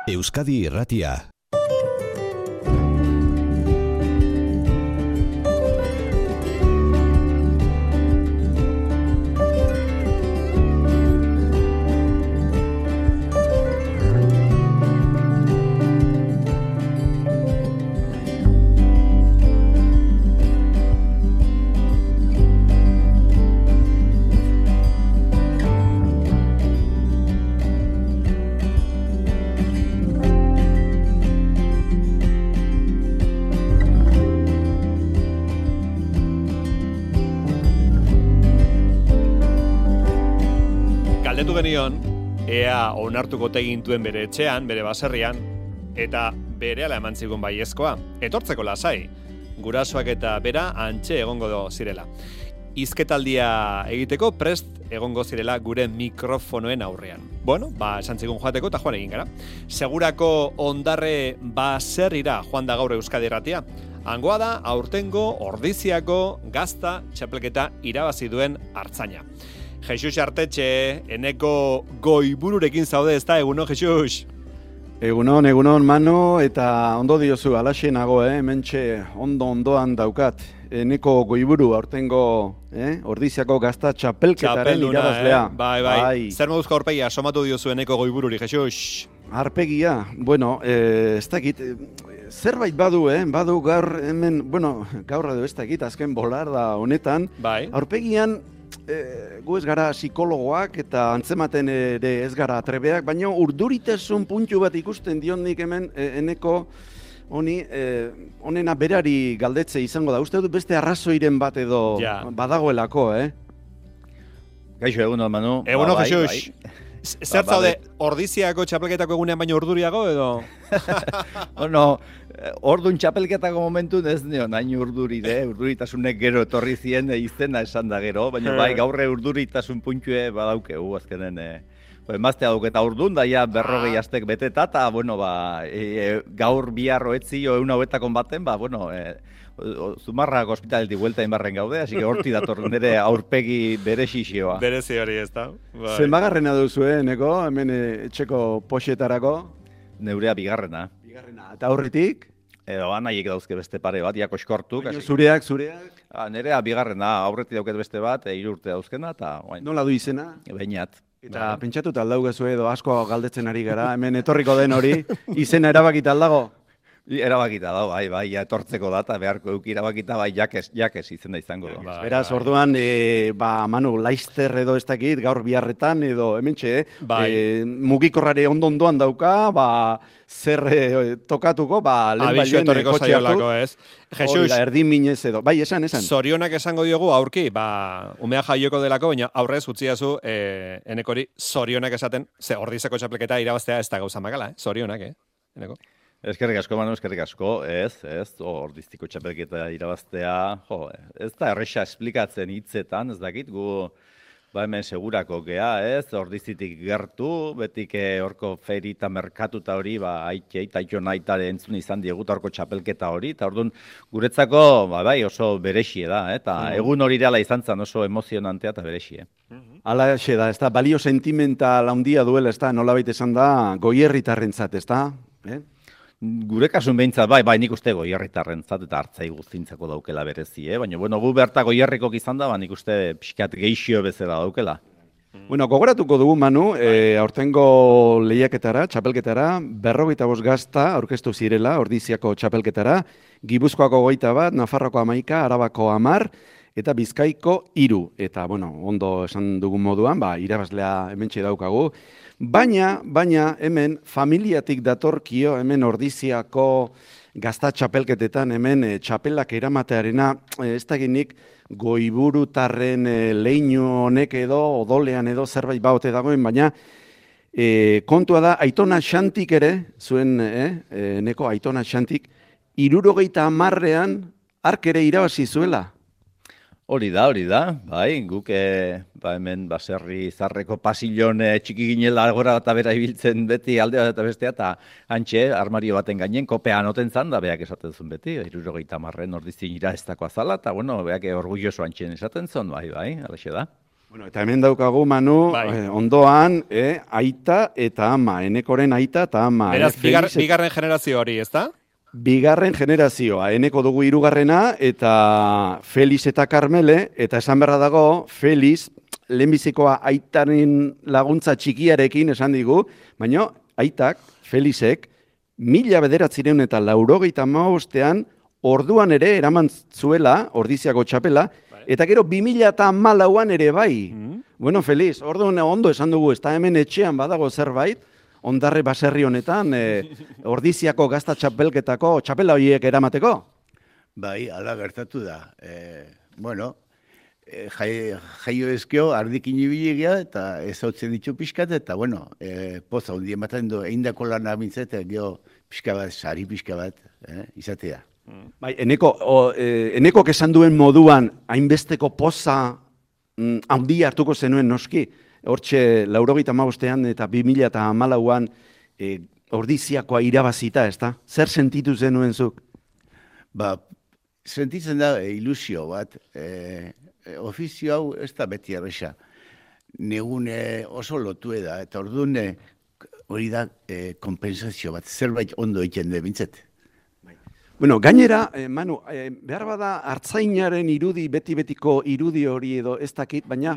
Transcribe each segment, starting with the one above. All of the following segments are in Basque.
Euskadi Irratia. Galdetu genion, ea onartuko tegintuen bere etxean, bere baserrian, eta berehala eman zigun baiezkoa. Etortzeko lasai, gurasoak eta bera antxe egongo zirela. Hizketaldia egiteko prest egongo zirela gure mikrofonoen aurrean. Bueno, esan zigun joateko eta joan egin gara. Segurako ondarre baserrira joan da gaur Euskadi Irratia. Hangoa da aurtengo Ordiziako gazta txapelketa irabazi duen artzaina. Jesus Artetxe, eneko goibururekin zaude, ez da, egunon, Jesus? Egunon, Manu, eta ondo diozu, alaxe nago, hementxe ondoan daukat. Eneko goiburu, aurtengo Ordiziako gazta txapelketaren irabazlea. Bai. Zer moduzko aurpegia, somatu diozu eneko goibururi, Jesus? Arpegia, bueno, ez dakit, zerbait badu gaur hemen, bueno, gaur edo ez dakit, azken bolarda honetan, bai. Aurpegian, gu ez gara psikologoak eta antzematen ere ez gara atrebeak, baina urduritasun puntu bat ikusten dionik hemen eneko honi honena berari galdetze izango da. Uste dut beste arrazoiren bat edo badagoelako, Gaixo, egunon, Manu. Egunon, Jesus. Zer zaude, Ordiziako txapelketako egunean baino urduriago edo? Bueno, ordun txapelketako momentun ez nion, hain urduritasunek gero etorri zien izena esan da gero, baina bai gaurre urduritasun puntue badaukegu azkenen. Emaztea duk eta urdun, daia 40 astek beteta, eta bueno, gaur biharro etzio egun hauetakon baten, Zumarrak ospitaletik buelta inbarren gaude, hasi que horti dator nire aurpegi bere xixioa. Berezi hori ez da. Zenbagarrena duzu, neko, hemen etxeko poxetarako? Neurea bigarrena. Eta aurritik? Nahiek dauzke beste pare bat, jakoskortuk. Zureak? Nerea bigarrena, aurretik dauket beste bat, 3 urte dauzkena, eta... Nola du izena? Beinat. Eta pentsatuta aldaugezu edo asko galdetzen ari gara, hemen etorriko den hori, izena erabakita aldago? Erabakita da, bai, etortzeko data, beharko eduki erabakita, bai, jakez izena izango da. Beraz, orduan, Manu, Laister edo ez dakit, gaur biharretan, edo hementxe, mugikorrare ondoan dauka, zer tokatuko, lehen bailuen kotxe hartu. Jesus, erdin minez edo. Bai, esan. Zorionak esango diogu aurki, umea jaioko delako, baina aurrez utziazu enekori zorionak esaten, ze Ordizeko txapelketa irabaztea ez da gauza makala, zorionak, eneko. Eskerrik asko, Manu, eskerrik asko, ez, Ordiziko txapelketa irabaztea, ez da erresa esplikatzen hitzetan, ez dakit, gu hemen segurako gea, ez, Ordizitik gertu, betik horko feri eta merkatuta hori, aitei, taito nahitare entzun izan diegut horko txapelketa hori, eta orduan guretzako, oso berexie da, eta egun hori reala izan zen oso emozionantea eta berexie. Hala xe da, ez da, balio sentimental handia duela, ez da, nolabait esan da, goierritarrentzat, ez da, Gure kasun behintzat, bai, nik uste goierritarrentzat eta hartzai guztintzako daukela berezi, baina, gu berta goierrikok izan da, nik uste pixkat geixio bezala daukela. Bueno, gogoratuko dugu, Manu, aurtengo lehiaketara, txapelketara, 45 gazta aurkeztu zirela, Ordiziako txapelketara, Gipuzkoako 21, Nafarroako 11, Arabako 10, eta Bizkaiko 3. Eta, ondo esan dugun moduan, irabazlea hementxe daukagu. Baina hemen familiatik datorkio, hemen Ordiziako gazta txapelketetan, hemen txapelak eramatearena, ez dakinik goiburutarren leinu honek edo, odolean edo zerbait baote dagoen, baina kontua da, Aitona Xantik ere, zuen, neko Aitona Xantik, 70ean ark ere irabazi zuela. Hori da, bai, guk hemen baserri zarreko pasillon txiki ginela gora eta bera ibiltzen beti alde bat eta bestea, eta hantxe, armario baten gainen, kopean oten zan, da beak esaten zuen beti, 70 Ordizin ira ez dakoa zala, eta beak orgulloso hantxen esaten zuen, bai, alaxe da. Bueno, eta hemen daukagu, Manu, ondoan, aita eta ama, Enekoren aita eta ama. Beraz, bigarren generazio hori, ezta? Bigarren generazioa, Eneko dugu hirugarrena, eta Feliz eta Karmele, eta esan berra dago, Feliz, lehenbizikoa aitaren laguntza txikiarekin esan digu, baina aitak, Felizek, 1985 orduan ere eraman zuela, Ordiziako txapela, eta gero 2014an ere bai. Bueno, Feliz, orduan ondo esan dugu, ez da hemen etxean badago zerbait, Ondarre baserri honetan, Ordiziako gazta txapelketako txapela horiek eramateko? Bai, ala gertatu da. Bueno, jaio ezkio, ardikin ibilegia, eta ez hautzen ditu pixkat, eta bueno, poza, hundi ematen du, eindako lan abintzet, geho pixka bat, sari pixka bat, izatea. Bai, Enekok esan duen moduan, hainbesteko poza handia hartuko zenuen noski, hortxe 85ean eta 2014an Ordiziakoa irabazita, ez da? Zer sentitu zenuen zuk? Ba, sentitzen da ilusio bat, ofizio hau ez da beti erresa. Negune oso lotu da, eta orduan hori da kompensazio bat, zerbait ondo egiten da bintzet. Bueno, gainera, Manu, behar bada hartzainaren irudi, beti-betiko irudi hori edo ez dakit, baina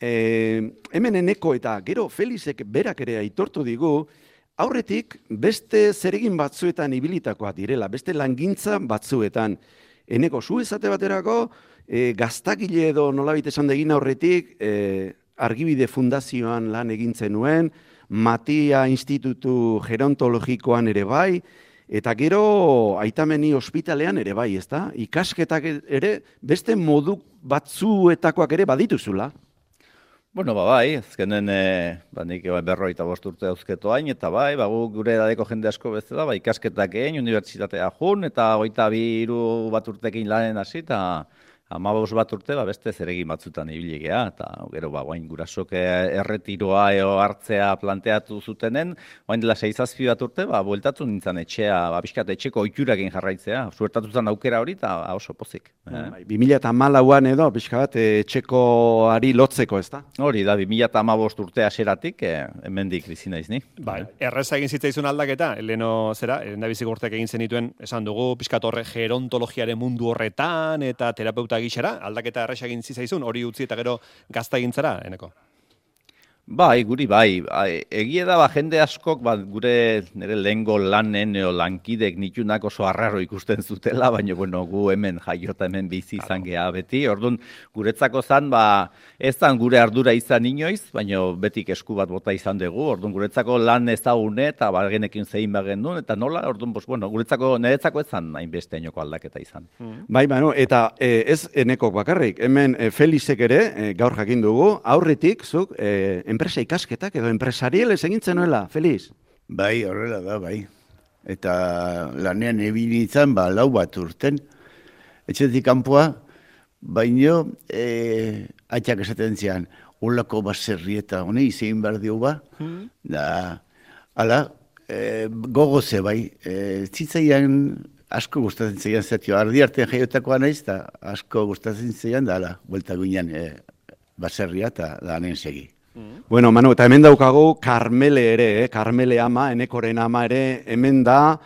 hemen Eneko eta gero Felizek berak ere aitortu digu, aurretik beste zeregin batzuetan ibilitakoa direla, beste langintza batzuetan. Eneko, zu esate baterako, gaztakile edo nolabait esan degin aurretik, Argibide Fundazioan lan egintzen nuen, Matia Institutu Gerontologikoan ere bai, eta gero Aitameni ospitalean ere bai, ezta? Ikasketak ere beste modu batzuetakoak ere badituzula. Bueno, bai, azkenen nik 45 urte dauzketo hain, eta bai, gure edadeko jende asko bezala, ikasketak egin, unibertsitatea jun, eta 23 bat urtekin lanen hasi, eta 15 bat urte beste zeregin batzutan ibiligea, eta gero guain gurasok erretiroa hartzea planteatu zutenen, guain dela 6-7 bat urte, bueltatu nintzen etxea, pixkat etxeko oiturakin jarraitzea, suertatu zen aukera hori, eta oso pozik. 2014an edo, pixka bat etxekoari lotzeko, ez da? Hori da, 2015 urte haseratik, hemendik bizi naiz ni. Bai, erreza egin zitzaizun aldaketa, leheno zera, lehendabizik urteak egin zenituen, esan dugu, pixkat horre gerontologiaren mundu horretan, eta terapeuta gixera, aldaketa erresa egin zizaizun, hori utzi eta gero gazta egintzara, Eneko? Bai, guri bai. Egie da, jende askok, gure nire lehengo lanen o lankidek nitunak oso arraro ikusten zutela, baina bueno, gu hemen jaiota hemen bizi izan geha beti. Orduan, guretzako zan, ez zan gure ardura izan inoiz, baina betik esku bat bota izan dugu. Orduan, guretzako lan ezagune eta genekin zein bagen duen, eta nola, orduan, bueno, niretzako ez zan hainbeste inoko aldaketa izan. Bai, bueno, eta ez Enekok bakarrik, hemen Felizek ere, gaur jakin dugu, aurretik, zuk, enpresa ikasketak edo enpresarielez egintzen nuela, Feliz? Bai, horrela da, bai. Eta lanean ebilitzen, 4 bat urten. Etxetik kanpoa, baino, atxak esaten zian, holako baserri eta hone izan behar diogu da, ala, gogoze bai, zitzaian asko gustatzen zeian zatio, ardi artean jaiotakoa naiz, eta asko gustatzen zeian, da, ala, buelta guinan baserria eta lanen segi. Bueno, Manu, eta hemen daukagu Karmele ere, Karmele ama, Enekoren ama ere, hemen da,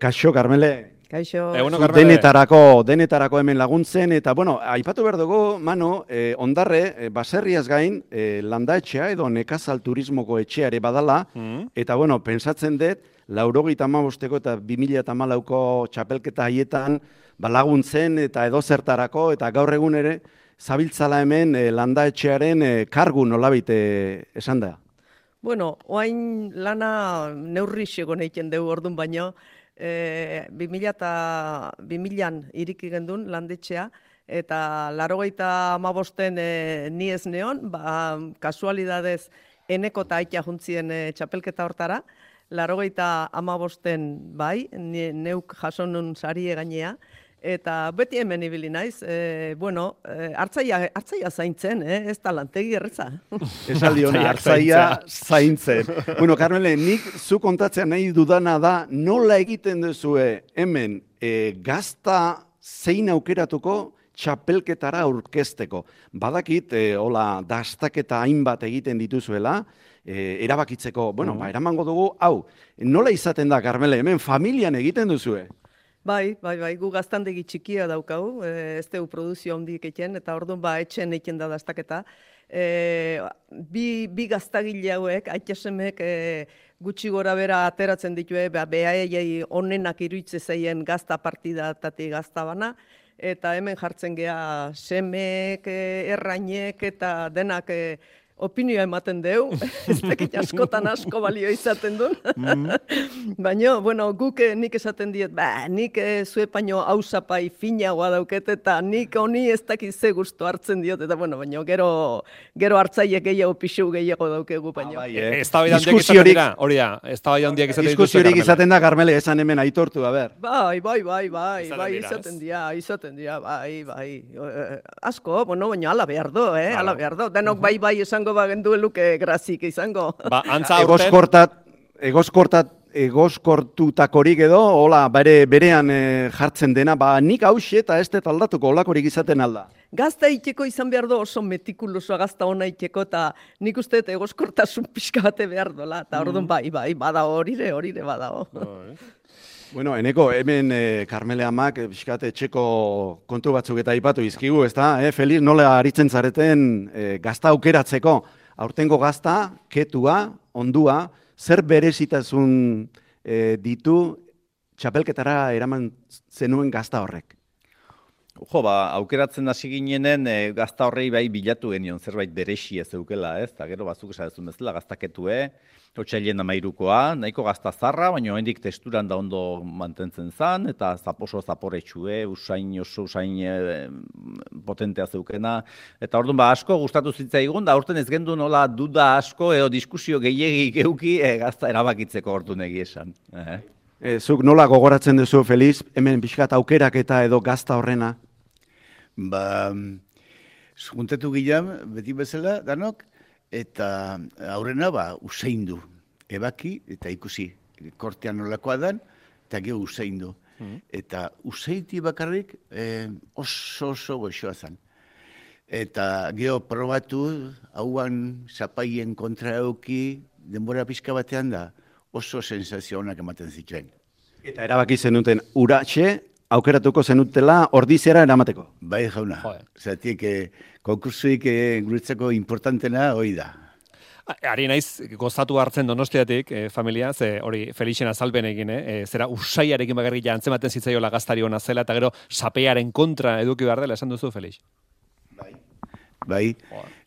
kaixo, Karmele? Kaixo. Denetarako hemen laguntzen, eta, bueno, aipatu behar dugu, Manu, Ondarre, baserriaz gain, landaetxea edo nekazal turismoko etxea ere badala, eta, bueno, pensatzen dut, 85 eta 2014ko txapelketa haietan, laguntzen eta edozertarako, eta gaur egun ere, zabiltzala hemen landaetxearen kargu nolabait esan da? Bueno, oain lana neurri xegon egiten dugu orduan baino, 2000an iriki gendun landetxea, eta 85en ni ez neon, kasualidadez Eneko eta Aita juntzien txapelketa hortara, 85en bai, neuk jasonun sarie gainea, eta beti hemen ibili naiz, hartzaia zaintzen, ez da lantegi erreza. Esaldi hona, hartzaia zaintzen. Bueno, Karmele, nik zu kontatzea nahi dudana da, nola egiten duzue hemen gazta zein aukeratuko txapelketara aurkezteko. Badakit, hola, dastaketa hainbat egiten dituzuela, erabakitzeko, bueno, eramango dugu, hau, nola izaten da, Karmele, hemen familian egiten duzue? Bai, gu gaztandegi txikia daukagu, ez dugu produzio handik egiten, eta orduan etxen egiten da dastaketa. Bi gaztagile hauek, aitasemek gutxi gora bera ateratzen ditue, behaiei onenak iruitze zeien gazta partidatatik gazta bana, eta hemen jartzen gea semek, errainek eta denak opinioa ematen deu, ez dakit askotan asko balio izaten duen. Baina, bueno, guk nik esaten diet, nik zuepaino hausapai finagoa dauket, eta nik honi ez dakit ze gustu hartzen diot, eta bueno, baina gero hartzaiek gehiago pixu gehiago daukegu, baina. Eztabaida handiak izaten dira, hori da, eztabaida handiak izaten dira. Diskusiorik izaten da, Karmele, esan hemen aitortu, a ber. Bai, izaten dira, bai. Asko, bueno, baina ala behar do, ala behar do. Denok bai esango bagendu luke grazik izango. Antza aurten... Egoskortutakorik edo, hola, berean jartzen dena, nik hauxe eta ez dut aldatuko, holakorik izaten alda. Gazta iteko izan behar do oso metikulosoa gazta ona iteko, eta nik uste egoskortasun pixka bate behar dola, eta orduan bai, bada horire badao. Bueno, eneko, hemen Karmele amak, pixkate etxeko kontu batzuk eta aipatu izkigu, ez da? Feliz, nola aritzen zareten gazta aukeratzeko, aurtengo gazta, ketua, ondua, zer berezitasun ditu txapelketara eraman zenuen gazta horrek? Aukeratzen hasi ginenen gazta horrei bai bilatu genion zerbait berexia zeukela, ez? Eta gero bazuk esan bezala gaztaketue, Otsailean 13koa, nahiko gazta zarra, baina oraindik testuran da ondo mantentzen zan, eta oso zaporetxue, usain potentea zeukena. Eta orduan asko gustatu zitzaigun, da aurten ez gendu nola duda asko edo diskusio gehiegi geuki gazta erabakitzeko orduan egia esan. Zuk nola gogoratzen duzu, Feliz, hemen pixkat aukerak eta edo gazta horrena? Juntatu gilan, beti bezala, danok, eta aurrena useindu, ebaki eta ikusi, kortean nolakoa dan, eta geho useindu. Eta useiti bakarrik oso goxoa zan. Eta geho probatu, hauan zapaien kontra euki, denbora pixka batean da, oso sensazio honak ematen zituen. Eta erabaki zenuten uratxe, aukeratuko zenutela ordiziara eramateko. Bai, jauna. Zatik, konkursuik guretzako importantena hori da. Ari naiz, gozatu hartzen Donostiatik, familia, ze hori Felixen azalpen egin, zera usaiarekin bakarrik antzematen zitzaiola gaztari hona zela, eta gero sapearen kontra eduki behar dela, esan duzu, Felix? Bai,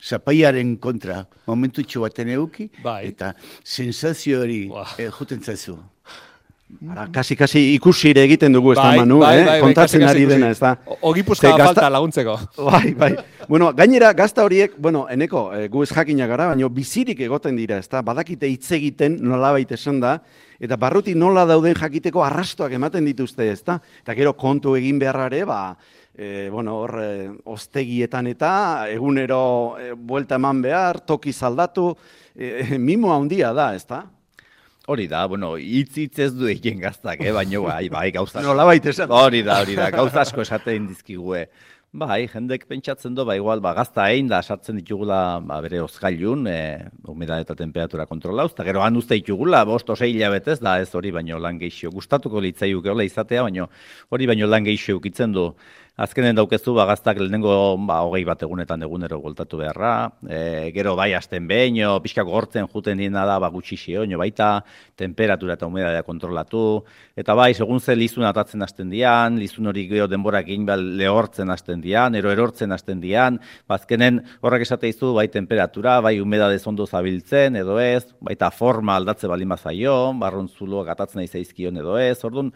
sapaiaren kontra momentutxo baten eduki, eta sensazio hori juten zaizu. Kasi ikusire egiten dugu ez da, Manu, kontatzen ari dena, ez da. Ogipuzka falta laguntzeko. Bai. Bueno, gainera, gazta horiek, eneko, gu ez jakina gara, baina bizirik egoten dira, ez da, badakite hitz egiten nolabait esan da, eta barruti nola dauden jakiteko arrastoak ematen dituzte, ez da. Eta gero kontu egin beharrare, hor, ostegietan eta egunero buelta eman behar, toki zaldatu, mimo handia da, ez da. Hori da, hitz ez du egin gaztak, baina bai, gauza asko. Nola baita esan. Hori da, gauza asko esaten dizkigue. Bai, jendek pentsatzen du, igual, gazta egin da, sartzen ditugula bere ozgailun, humedade eta temperatura kontrolauz, eta gero han uste ditugula, 5-6 hilabetez, da ez hori baino lan gehixio. Gustatuko litzaiuk hola izatea, baina hori baino lan gehixio ukitzen du. Azkenen daukezu, gaztak lehenengo 21 egunetan egunero voltatu beharra, gero bai hasten behin, pixka gortzen juten dina da, gutxi xeoño baita, temperatura eta humedadea kontrolatu, eta bai, segun ze lizun atatzen hasten dian, lizun hori gero denborak egin lehortzen hasten dian, erortzen hasten dian, azkenen horrek esate izu, bai temperatura, bai humedade ondo zabiltzen, edo ez, baita forma aldatze bali mazaio, barrontzuloak atatzen nahi zaizkion edo ez, orduan,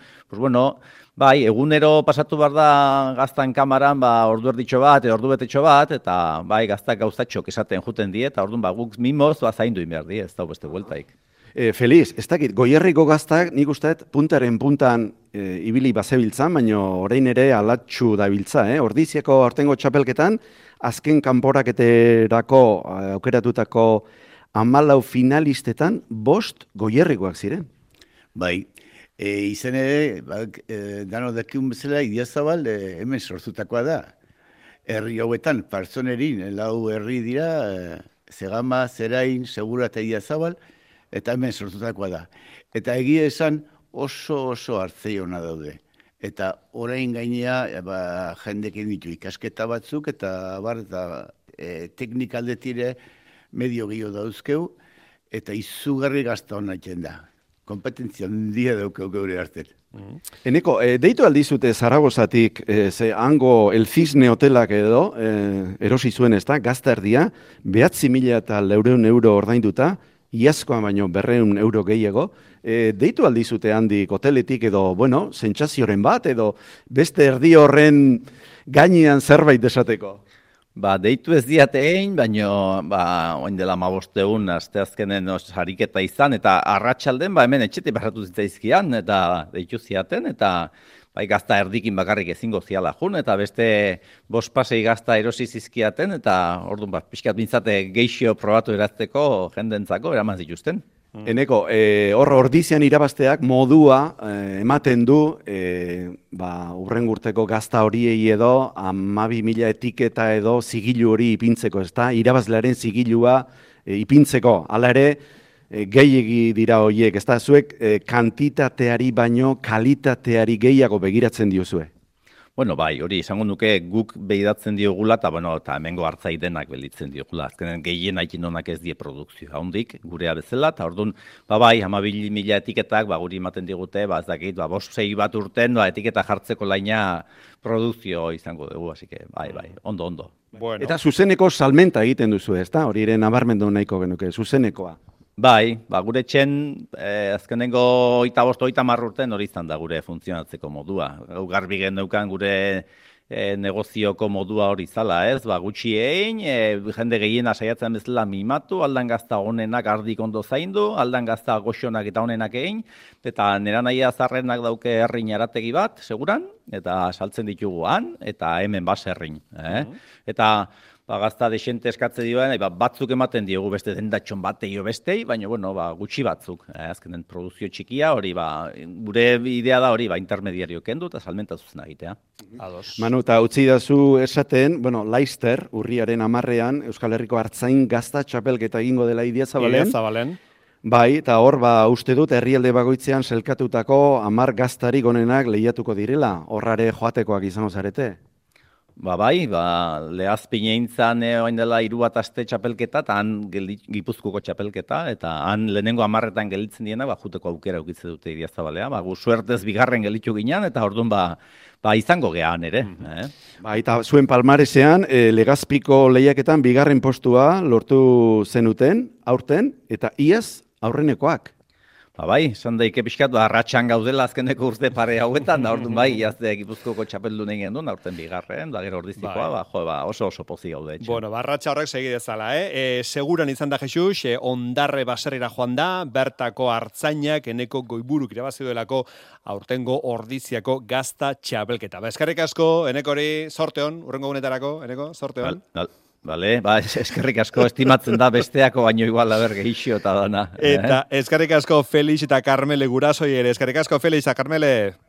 bai, egunero pasatu behar da gaztan kamaran, ordu erditxo bat, ordu betetxo bat, eta bai, gaztak gauzatxok esaten juten die, eta orduan guk mimoz zaindu inbehar die, ez da beste bueltaik. Feliz, ez dakit, Goierriko gaztak nik usteet puntaren puntan ibili bazebiltzan, baina orain ere alatxu dabiltza, Ordiziako aurtengo txapelketan, azken kanporaketerako aukeratutako 14 finalistetan 5 Goierrikoak ziren. Bai. Izan ere, dano dakiun bezala, Idiazabal hemen sortutakoa da. herri hauetan, partzonerin, lau herri dira, Zegama, Zerain, Segura eta Idiazabal, eta hemen sortutakoa da. Eta egia esan oso hartzei hona daude. Eta orain gainea jendekin ditu ikasketa batzuk, eta teknikaldetire medio gehiago dauzkeu, eta izugarri gazta hona da. Kompetentzia handia daukeu geure hartzen. Eneko, deitu aldizute Zaragozatik, ze hango El Cisne hotelak edo, erosi zuen ez da, gazta erdia, 9.400 euro ordainduta, iazkoa baino 200 euro gehiago, deitu aldizute handik hoteletik edo, bueno, sentsazioren bat, edo beste erdi horren gainean zerbait desateko? Deitu ez diate egin, baina oin dela 15 egun, asteazkenen sariketa izan, eta arratsalden hemen etxetik barratu zitzaizkian, eta deitu ziaten, eta gazta erdikin bakarrik ezingo ziala jun, eta beste 5 pasei gazta erosi zizkiaten, eta orduan pixkat bintzate geixio probatu erazteko jendentzako eraman zituzten. Eneko, ordizian irabazteak modua ematen du urrengurteko gazta horiei edo 12.000 etiketa edo zigilu hori ipintzeko, ez da? Irabazlearen zigilua ipintzeko, hala ere gehiegi dira horiek, ez da? Zuek kantitateari baino kalitateari gehiago begiratzen diozue. Bueno, hori izango nuke guk begiratzen diogula, eta hemengo hartzai denak belitzen diogula. Azkenen gehien haikin honak ez die produkzioa hondik, gurea bezala, eta orduan, 12.000 etiketak, guri ematen digute, ez dakit, 5-6 bat urten, etiketa jartzeko laina produkzio izango dugu, así que, ondo. Bueno. Eta zuzeneko salmenta egiten duzu, ez da? Hori ere nabarmendu nahiko genuke, zuzenekoa. Gure txen, azkenengo 25-30 urten hori izan da gure funtzionatzeko modua. Garbi geneukan gure negozioko modua hori zala, ez? Gutxi egin, jende gehiena saiatzen bezala mimatu, aldan gazta honenak ardik ondo zaindu, aldan gazta goxonak eta honenak egin, eta nera nahia zarrenak dauke herrin arategi bat, seguran, eta saltzen ditugu han, eta hemen baserrin. Eta gazta desente eskatze dioen, batzuk ematen diogu beste dendatxon bateio bestei, baina gutxi batzuk. Azkenen produzio txikia hori, gure idea da hori, intermediario kendu eta salmenta zuzena egitea. Manu, eta utzi dazu esaten, Laister, urriaren 10ean, Euskal Herriko Artzain gazta txapelketa egingo dela Idiazabalen. Eta hor, uste dut, herrialde bagoitzean selkatutako 10 gaztarik onenak lehiatuko direla, horrare joatekoak izango zarete. Lehazpine intzan oain dela 3 aste txapelketa, eta han Gipuzkoako txapelketa, eta han lehenengo 10etan gelitzen diena, juteko aukera eukitze dute Idiazabalea. Gu suertez bigarren gelitu ginen, eta orduan izango gehan ere. Eta zuen palmaresean, Legazpiko lehiaketan bigarren postua lortu zenuten, aurten, eta iaz aurrenekoak. Esan daike pixkat, arratxan gaudela azkeneko urte pare hauetan, da orduan iazde Gipuzkoako txapeldu nahi gendun, aurten bigarren, da gero ordizikoa, oso pozi gaude. Bueno, arratxa horrek segi dezala, seguran izan da Jesus, ondarre baserrira joan da, bertako hartzainak, eneko goiburuk irabazi duelako aurtengo ordiziako gazta txapelketa. Eskerrik asko, enekori, sorte hon, urrengo gunetarako, eneko, sorte hon. Eskerrik asko estimatzen da besteako baino igual gehixio eta dana. Eta eskerrik asko Felix eta Carmele gurasoi ere. Eskerrik asko Felix eta Carmele.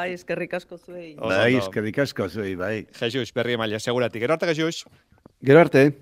Eskerrik asko zuei. Eskerrik asko zuei, Jesus, berri emaila, seguratik. Gero arte, Jesus. Gero arte.